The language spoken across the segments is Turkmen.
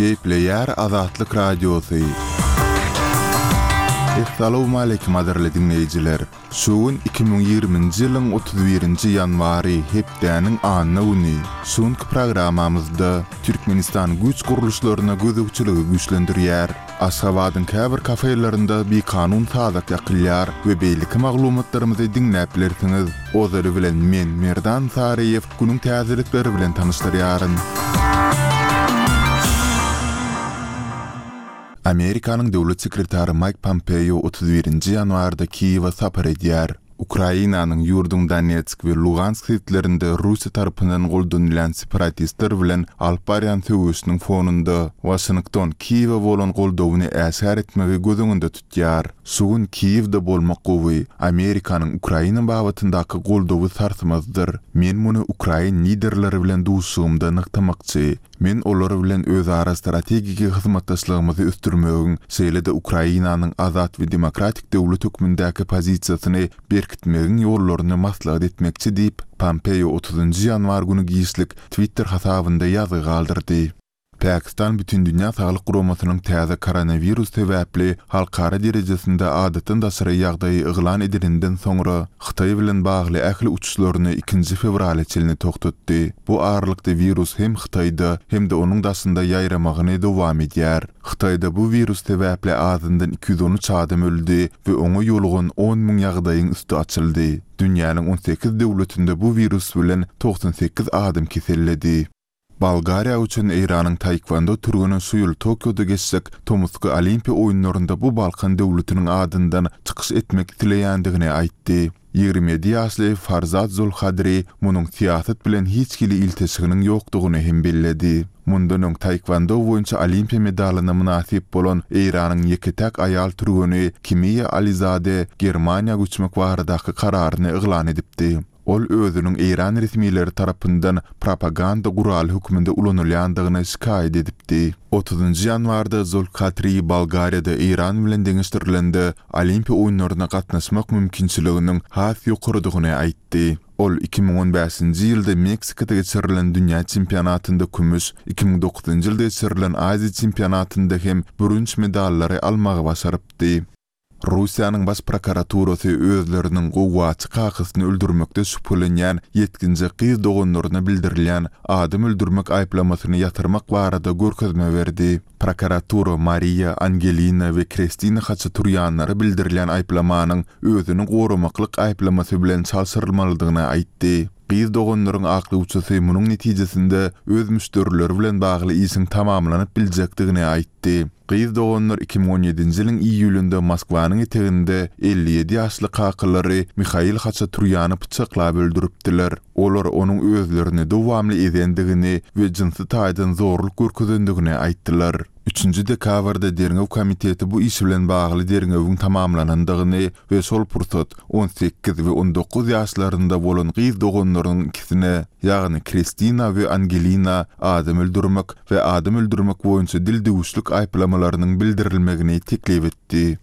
Gepleýär Azatlyk Radiosy. Essalawmaleýkim gadyrly diňleýjiler! Şu gün 2020-nji ýylyň 31-nji ýanwary, hepdäniň anna güni. Şu günki programmamyzda Türkmenistan güýç gurluşlaryna gözegçiligi güýçlendirýär. Aşgabadyň käbir kafelerinde bikanun sazak ýakylýar we beýleki maglumatlarymyzy diňläp bilersiňiz. Ozaly bilen men, Merdan Saryýew, günüň täzelikleri bilen tanyşdyrýaryn. Amerikanyň Döwlet sekretary Maýk Pompeo 31-nji ýanwarda Kiýewe sapar edýär. Ukrainanyň ýurduň Donetsk we Lugansk sebitlerinde Russiýa tarapyndan goldanylýan separatistler bilen alyp barýan söweşiniň fonunda, Waşington Kiýewe bolan goldawyny äşgär etmegi göz öňünde tutýar. Şu gün Kiýewde bolmak gowy. Amerikanyň Ukraina babatyndaky goldawy sarsmazdyr. Men muny ukrain liderleri bilen duşuşygymda nygtamakçy. Men olar bilen özara strategiki hyzmatdaşlygymyzy ösdürmegiň, şeýle-de Ukrainanyň azat we demokratik döwlet hökmündäki pozisiýasyny berkitmegiň ýollaryny maslahat etmekçi diýip, Pompeo otuzynjy ýanwar güni giçlik Twitter hasabynda ýazgy galdyrdy. Pakistan Bütindünýä Saglyk Guramasynyň täze koronawirus sebäpli halkara derejesinde adatdan daşary ýagdaýy yglan edeninden soňra, Hytaý bilen bagly ähli uçuşlaryny ikinji fewrala çenli togtatdy. Bu aralykda wirus hem Hytaýda, hem-de onuň daşynda ýaýramagyny dowam edýär. Hytaýda bu wirus sebäpli azyndan 213 adam öldi we oňa ýolugan 10,000 ýagdaýyň üsti açyldy. Dünýäniň 18 döwletinde bu wirus bilen 98 adam keselledi. Bolgariýa uçan Eýranyň taekwondo türgeni şu ýyl Tokioda geçjek tomusky Olimpiýa oýunlarynda bu Balkan döwletiniň adyndan çykyş etmek isleýändigini aýtdy. 27 ýaşly Farzad Zolkadri munuň syýasat bilen hiç hili ilteşiginiň ýokdugyny hem belledi. Mundan öň taekwondo boýunça Olimpiýa medalyna mynasyp bolan Eýranyň ýeke-täk aýal türgeni Kimiýa Alizade Germaniýa göçmek baradaky kararyny yglan edipdi. Ol özüniň eýran resmileri tarapyndan propaganda guraly hökmünde ulanylýandygyny şikaýat edipdi. Otuzynjy ýanwarda Zolkatri Bolgariýada Eýran bilen deňeşdirilende Olimpiýa oýunlaryna gatnaşmak mümkinçiliginiň has ýokarydygyny aýtdy. Ol 2015-nji ýylda Meksikada geçirilen dünýä çempionatynda kümüş, 2009-njy ýylda geçirilen Aziýa çempionatynda hem bürünç medallary almagy başarypdy. Russiýanyň Baş prokuraturasy özleriniň gowgaçy kakasyny öldürmekde şübhelenýän ýetginjek gyz doganlaryna bildirilýän adam öldürmek aýyplamasyny ýatyrmak barada görkezme berdi. Prokuratura Mariýa, Angelina we Krestina Haçaturýanlara bildirilýän aýyplamanyň özüni goramaklyk aýyplamasy bilen çalşyrylmalydygyny aýtdy. Gyz doganlaryň aklawçysy munuň netijesinde öz müşderileri bilen bagly işiň tamamlanyp biljekdigini aýtdy. Gyz doganlar 2017-nji ýylyň iýulynda Moskwanyň eteginde 57 ýaşly kakalary Mihail Haçaturýany pyçaklap öldüripdiler. Olar onuň özlerini dowamly ezendigini we jynsy taýdan zorluk görkezendigini aýtdylar. Üçünji dekabrda Derňew komiteti bu iş bilen bagly derňewiň tamamlanandygyny we şol pursat 18 we 19 ýaşlarynda bolan gyz doganlarynyň ikisine, ýagny Kristina we Angelina adam öldürmek we adam öldürmek boýunça dil düwüşlik aýyplamalarynyň bildirilmegini teklip etdi.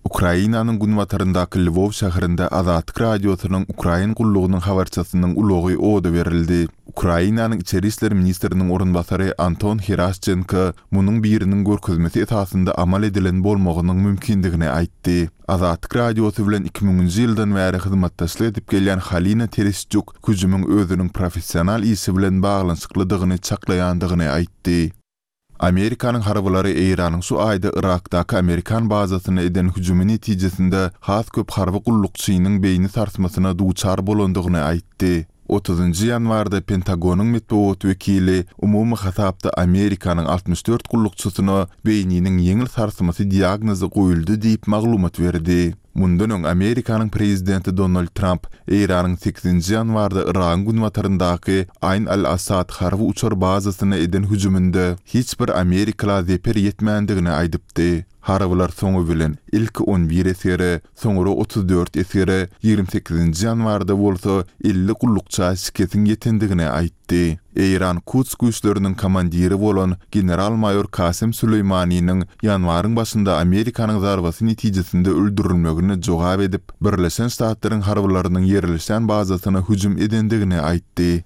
Ukrainanyň günbataryndaky Lwow şäherinde Azatlyk Radiosynyň Ukrain gullugynyň habarçysynyň ulagy oda berildi. Ukrainanyň içeri işler ministriniň orunbasary Anton Heraşçenko munuň biriniň görkezmesi esasynda amal edilen bolmagynyň mümkindigini aýtdy. Azatlyk Radiosy bilen iki müňünji ýyldan bäri hyzmatdaşlyk edip gelýän Halina Tereşçuk hüjümiň özüniň professional işi bilen baglanyşyklydygyny çaklaýandygyny aýtdy. Amerikanyň harbylary Eýranyň şu aýda Yrakdaky amerikan bazasyna eden hüjümi netijesinde has köp harby gullukçynyň beýni sarsmasyna duçar bolandygyny aýtdy. Otuzynjy ýanwarda Pentagonyň metbugat wekili umumy hasapda Amerikanyň 64 gullukçysyna beýniniň ýeňil sarsmasy diagnozy goýuldy diýip maglumat berdi. Mundan öň Amerikanyň prezidenti Donald Tramp Eýranyň sekizinji ýanwarda Yragyň günbataryndaky Aýn al-Asad harby uçar bazasyna eden hüjüminde hiç bir amerikala zeper ýetmändigini aýdypdy. Harbylar soňy bilen ilki 11 esgere, soňra 34 esgere, 28-nji ýanwarda bolsa 50 gullukça şikesiň ýetendigini aýtdy. Eýran Kuds güýçleriniň komandiri bolan general-maýor Kasem Süleýmaniniň ýanwaryň başynda Amerikanyň zarbasy netijesinde öldürilmegine jogap edip, Birleşen Ştatlaryň harbylarynyň ýerleşýän bazasyna hüjüm edendigini aýtdy.